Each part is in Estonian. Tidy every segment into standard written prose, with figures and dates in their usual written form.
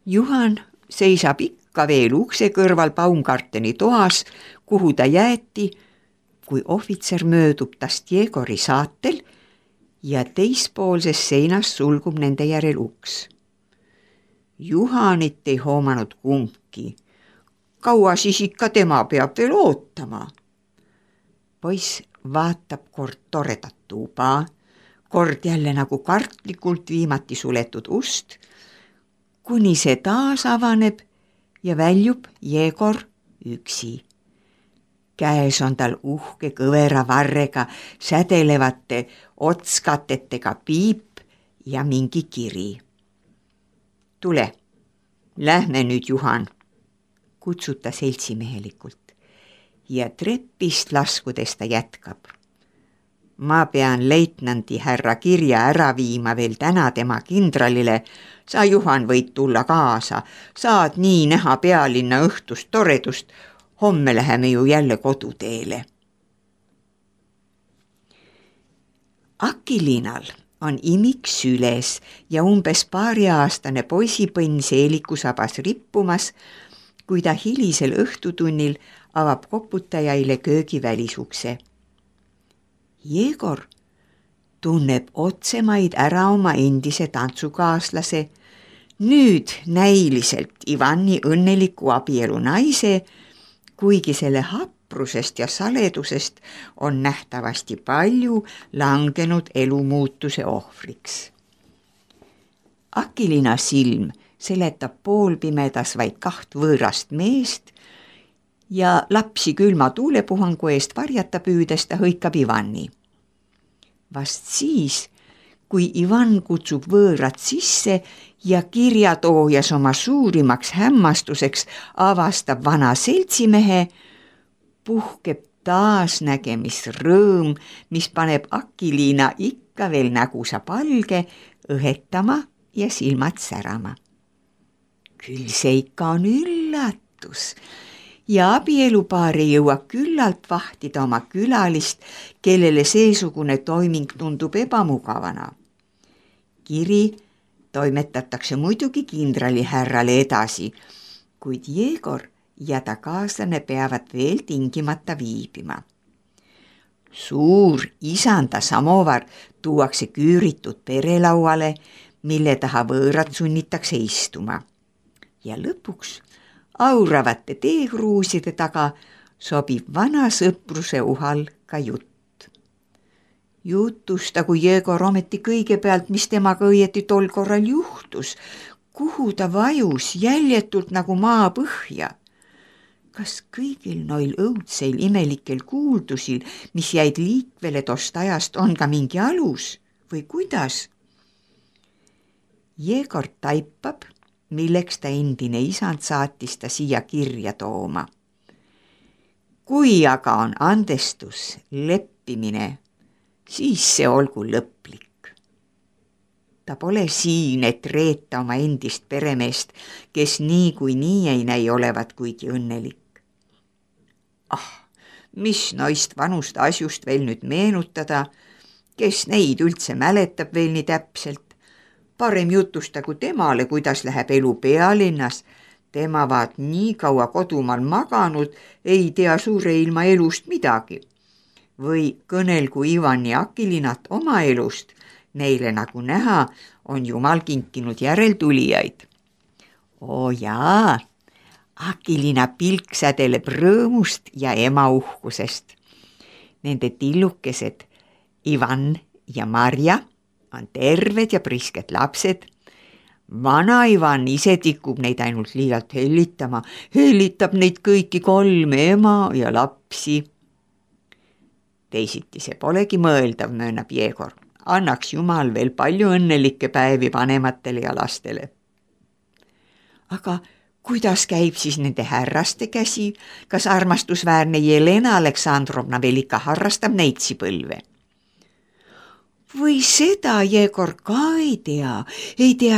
Juhan seisab ikka veel ukse kõrval Baumgarteni toas, kuhu ta jäeti, kui ohvitser möödub tast Jegori saatel ja teispoolses seinas sulgub nende järel uks. Juhanit ei hoomanud kumbki. Kaua siis ikka tema peab veel ootama? Poiss vaatab kord toredat tuba, kord jälle nagu kartlikult viimati suletud ust, kuni see taas avaneb ja väljub Jegor üksi. Käes on tal uhke kõvera varrega sädelevate otskatetega piip ja mingi kiri. Tule, lähme nüüd, Juhan, kutsub ta seltsimehelikult ja trepist laskudes ta jätkab. Ma pean leitnandi härra kirja ära viima veel täna tema kindralile. Sa, Juhan, võid tulla kaasa, saad nii näha pealinna õhtust toredust. Homme läheme ju jälle koduteele. Akiliinal on imik süles ja umbes paariaastane poisipõnn seeliku sabas rippumas, kui ta hilisel õhtutunnil avab koputajaile köögi välisukse. Jegor tunneb otsemaid ära oma endise tantsukaaslase, nüüd näiliselt Ivani õnneliku abielu naise, kuigi selle haprusest ja saledusest on nähtavasti palju langenud elumuutuse ohvriks. Akiliina silm seletab poolpimedas vaid 2 võõrast meest ja lapsi külma tuulepuhangu eest varjata püüdes ta hõikab Ivani. Vast siis, kui Ivan kutsub võõrad sisse ja kirjatoojas oma suurimaks hämmastuseks avastab vana seltsimehe, puhkeb taasnägemisrõõm, mis paneb Akiliina ikka veel nägusa palge õhetama ja silmad särama. Küll see ikka on üllatus ja abielupaar ei jõua küllalt vahtida oma külalist, kellele seesugune toiming tundub ebamugavana. Kiri toimetatakse muidugi kindralihärrale edasi, kuid Jegor ja ta kaaslane peavad veel tingimata viibima. Suur isanda samovar tuuakse küüritud perelauale, mille taha võõrad sunnitakse istuma. Ja lõpuks auravate teekruuside taga sobib vana sõpruse uhal ka jutt. Jutustagu Jegor ometi kõigepealt, mis temaga õieti tol korral juhtus, kuhu ta vajus jäljetult nagu maa põhja. Kas kõigil noil õudseil imelikel kuuldusil, mis jäid liikvele tost ajast, on ka mingi alus või kuidas? Jegor taipab, milleks ta endine isand saatis ta siia kirja tooma. Kui aga on andestus, leppimine, siis see olgu lõplik. Ta pole siin, et reeta oma endist peremeest, kes niikuinii ei näi olevat kuigi õnnelik. Mis noist vanust asjust veel nüüd meenutada, kes neid üldse mäletab veel nii täpselt? Parem jutustagu temale, kuidas läheb elu pealinnas. Tema vaat nii kaua kodumaal maganud, ei tea suure ilma elust midagi. Või kõnelgu Ivan ja Akiliinat oma elust. Neile, nagu näha, on Jumal kinkinud järeltulijaid. Oo jaa, Akiliina pilk sädeleb rõõmust ja ema uhkusest. Nende tillukesed Ivan ja Marja on terved ja prisked lapsed. Vana Ivan ise tikub neid ainult liialt hellitama, hellitab neid kõiki 3 ema ja lapsi. Teisiti see polegi mõeldav, möönab Jegor. Annaks Jumal veel palju õnnelikke päevi vanematele ja lastele. Aga kuidas käib siis nende härraste käsi? Kas armastusväärne Jelena Aleksandrovna veel ikka harrastab neitsipõlve? Või seda Jegor ka ei tea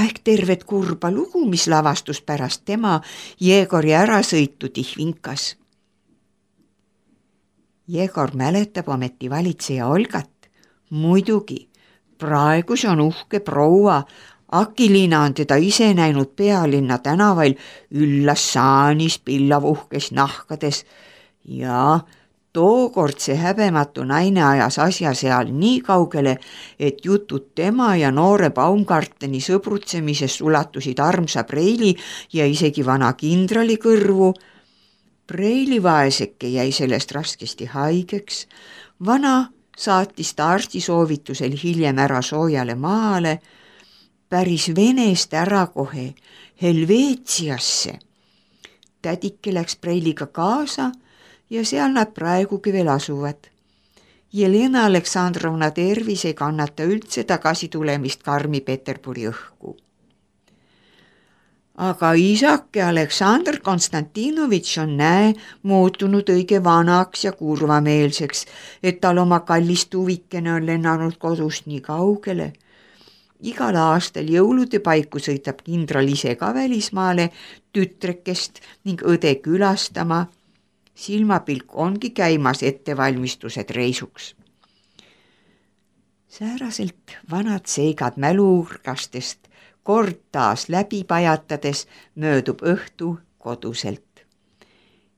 ehk tervet kurba lugu, mis lavastus pärast tema Jegori ärasõitu Tihvinkas. Jegor mäletab ometi valitseja Olgat. Muidugi, praegu see on uhke proua, Akiliina on teda ise näinud pealinna tänavail üllas saanis, pillavuhkes nahkades ja tookord see häbematu naine ajas asja seal nii kaugele, et jutud tema ja noore Baumgarteni sõbrutsemisest ulatusid armsa Preili ja isegi vana kindrali kõrvu. Preili vaeseke jäi sellest raskesti haigeks. Vana saatis ta arsti soovitusel hiljem ära soojale maale, päris Venest ära kohe Helveetiasse. Tädike läks Preiliga kaasa ja seal nad praegugi veel asuvad. Jelena Aleksandrovna tervis ei kannata üldse tagasi tulemist karmi Peterburi õhku. Aga isake Aleksandr Konstantinovitš on muutunud õige vanaks ja kurvameelseks, et tal oma kallis tuvikene on lennanud kodust nii kaugele. Igal aastal jõulude paiku sõitab kindral ise ka välismaale tütrekest ning õde külastama. Silmapilk ongi käimas ettevalmistused reisuks. Sääraselt vanad seigad mäluurkastest kord taas läbi pajatades möödub õhtu koduselt.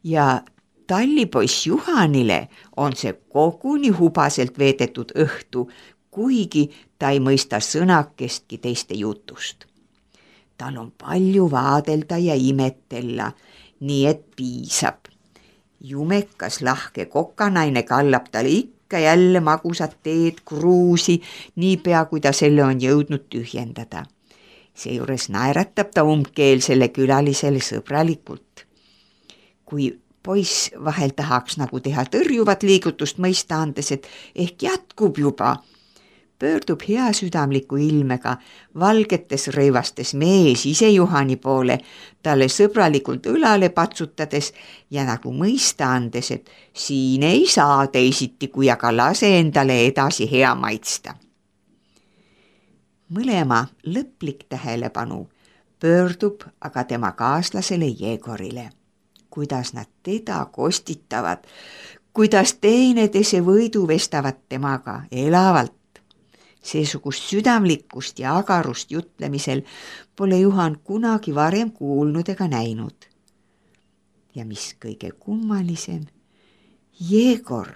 Ja tallipoiss Juhanile on see koguni hubaselt veedetud õhtu, kuigi ta ei mõista sõnakestki teiste jutust. Tal on palju vaadelda ja imetella, nii et piisab. Jumekas lahke kokanaine kallab talle ikka jälle magusat teed kruusi, niipea kui ta selle on jõudnud tühjendada. Seejuures naeratab ta umbkeelsele külalisele sõbralikult. Kui poiss vahel tahaks nagu teha tõrjuvat liigutust mõista andes, et ehk jätkub juba, pöördub hea südamliku ilmega valgetes rõivastes mees ise Juhani poole, talle sõbralikult õlale patsutades ja nagu mõista andes, et siin ei saa teisiti, kui aga lase endale edasi hea maitsta. Mõlema lõplik tähelepanu pöördub aga tema kaaslasele Jegorile. Kuidas nad teda kostitavad, kuidas teineteise võidu vestavad temaga elavalt. Seesugust südamlikkust ja agarust jutlemisel pole Juhan kunagi varem kuulnud ega näinud. Ja mis kõige kummalisem, Jegor,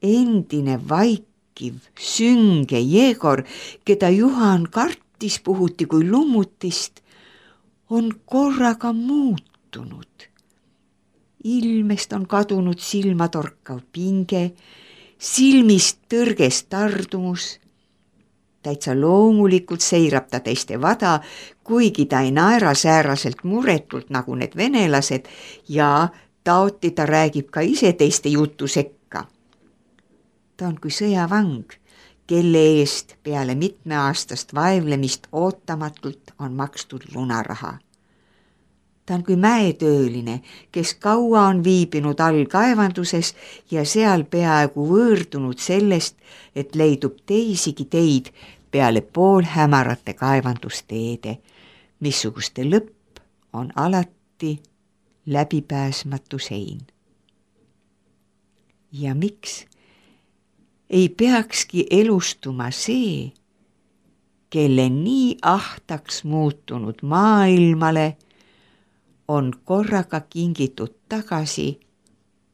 endine vaikiv, sünge Jegor, keda Juhan kartis puhuti kui lummutist, on korraga muutunud. Ilmest on kadunud silmatorkav pinge, silmist tõrgest tardumus. Täitsa loomulikult seirab ta teiste vada, kuigi ta ei naera sääraselt muretult nagu need venelased ja taoti ta räägib ka ise teiste jutu sekka. Ta on kui sõjavang, kelle eest peale mitmeaastast vaevlemist ootamatult on makstud lunaraha. Ta on kui mäetööline, kes kaua on viibinud all kaevanduses ja seal peaaegu võõrdunud sellest, et leidub teisigi teid peale poolhämarate kaevandusteede, missuguste lõpp on alati läbipääsmatu sein. Ja miks ei peakski elustuma see, kelle nii ahtaks muutunud maailmale on korraga kingitud tagasi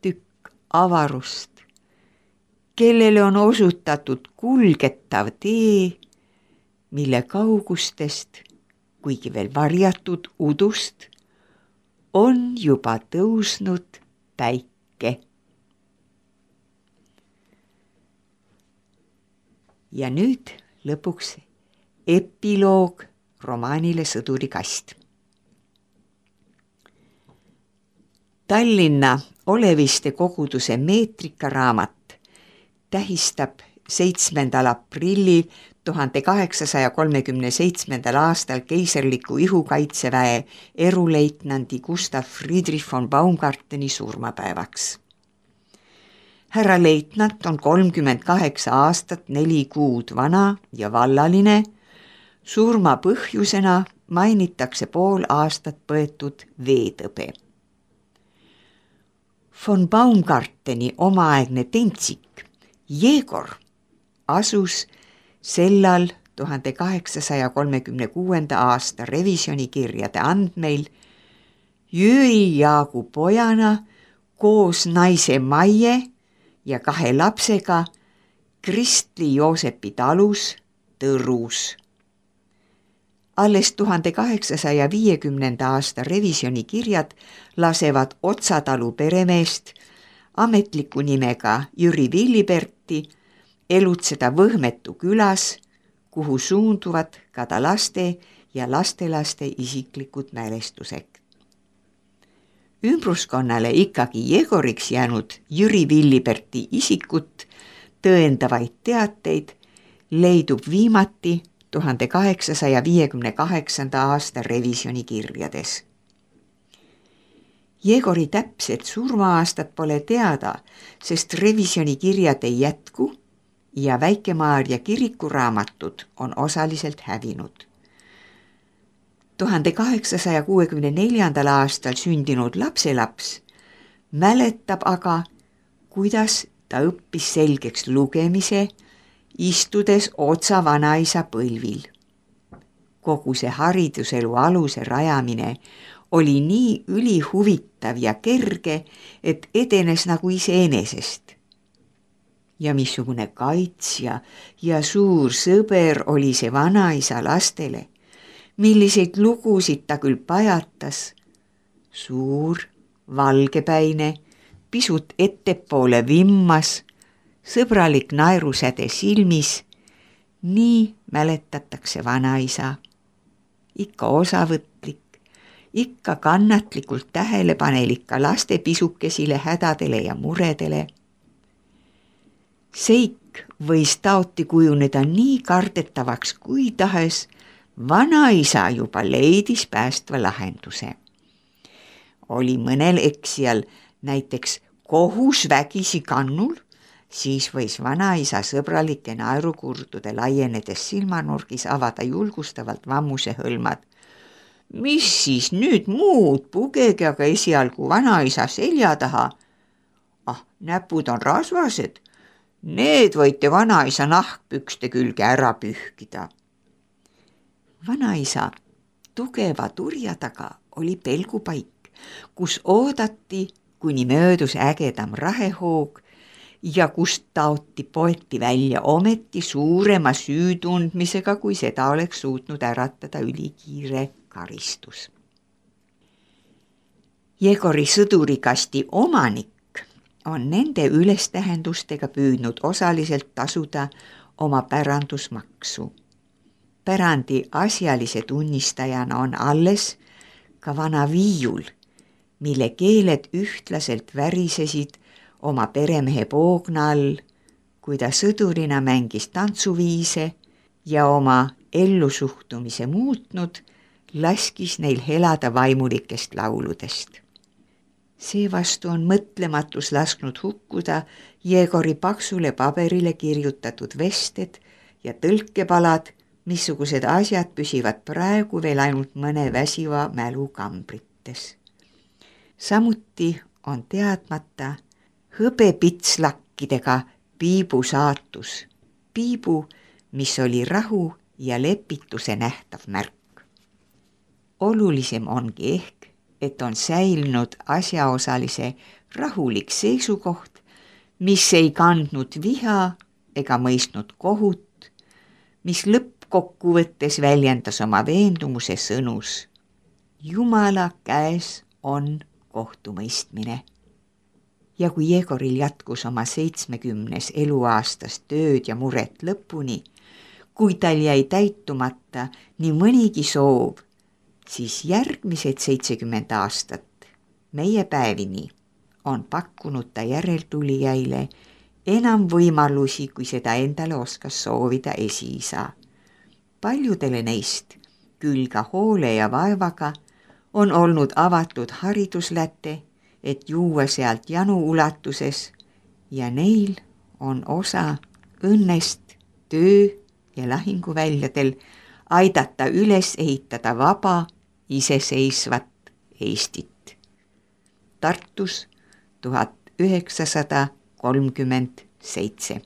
tükk avarust, kellele on osutatud kulgetav tee, mille kaugustest, kuigi veel varjatud udust, on juba tõusnud päike. Ja nüüd lõpuks epiloog romaanile Sõduri kast. Tallinna Oleviste koguduse meetrikaraamat tähistab 7. aprillil 1837. aastal keiserliku ihukaitseväe eruleitnandi Gustav Friedrich von Baumgarteni surmapäevaks. Härra leitnant on 38 aastat 4 kuud vana ja vallaline. Surma põhjusena mainitakse pool aastat põetud veetõbe. Von Baumgarteni omaaegne tentsik Jegor asus sellal 1836. aasta revisjonikirjade andmeil Jüri Jaagu pojana koos naise Maie ja 2 lapsega Kristli Joosepi talus Tõrus. Alles 1850. aasta revisjonikirjad lasevad Otsa talu peremeest ametliku nimega Jüri Villiberti elutseda Võhmetu külas, kuhu suunduvad ka ta laste ja lastelaste isiklikud mälestused. Ümbruskonnale ikkagi Jegoriks jäänud Jüri Villiberti isikut tõendavaid teateid leidub viimati 1858. aasta revisjonikirjades. Jegori täpset surmaaastat pole teada, sest revisjonikirjad ei jätku ja Väike-Maarja kirikuraamatud on osaliselt hävinud. 1864. aastal sündinud lapselaps mäletab aga, kuidas ta õppis selgeks lugemise, istudes Otsa vanaisa põlvil. Kogu see hariduselu aluse rajamine oli nii ülihuvitav ja kerge, et edenes nagu iseenesest. Ja missugune kaitsja ja suur sõber oli see vanaisa lastele, milliseid lugusid ta küll pajatas. Suur, valgepäine, pisut ettepoole vimmas, sõbralik naerusäde silmis, nii mäletatakse vanaisa. Ikka osavõtlik, ikka kannatlikult tähelepanelik ka laste pisukesile hädadele ja muredele. Seik võis taoti kujuneda nii kardetavaks kui tahes, vanaisa juba leidis päästva lahenduse. Oli mõnel eksijal näiteks kohus vägisi kannul, siis võis vanaisa sõbralike naerukurdude laienedes silmanurgis avada julgustavalt vammuse hõlmad. Mis siis nüüd muud, pugege aga esialgu vanaisa selja taha. Näpud on rasvased, need võite vanaisa nahkpükste külge ära pühkida. Vanaisa tugeva turja taga oli pelgupaik, kus oodati, kuni möödus ägedam rahehoog ja kust taoti poeti välja ometi suurema süütundmisega, kui seda oleks suutnud äratada ülikiire karistus. Jegori sõdurikasti omanik on nende ülestähendustega püüdnud osaliselt tasuda oma pärandusmaksu. Pärandi asjalise tunnistajana on alles ka vana viiul, mille keeled ühtlaselt värisesid oma peremehe poogna all, kui ta sõdurina mängis tantsuviise ja oma ellusuhtumise muutnud, laskis neil helada vaimulikest lauludest. Seevastu on mõtlematus lasknud hukkuda Jegori paksule paberile kirjutatud vested ja tõlkepalad, missugused asjad püsivad praegu veel ainult mõne väsiva mälu kambrites. Samuti on teadmata hõbepitslakkidega piibu saatus, piibu, mis oli rahu ja lepituse nähtav märk. Olulisem ongi ehk, et on säilinud asjaosalise rahulik seisukoht, mis ei kandnud viha ega mõistnud kohut, mis lõppkokkuvõttes väljendas oma veendumuse sõnus. Jumala käes on kohtumõistmine. Ja kui Jegoril jätkus oma 70 eluaastast tööd ja muret lõpuni, kui tal jäi täitumata nii mõnigi soov, siis järgmised 70 aastat meie päevini on pakkunud ta järeltulijaile enam võimalusi, kui seda endale oskas soovida esiisa. Paljudele neist, küll ka hoole ja vaevaga, on olnud avatud haridusläte, et juua sealt janu ulatuses ja neil on osa õnnest töö ja lahinguväljadel aidata üles ehitada vaba, iseseisvat Eestit. Tartus 1937.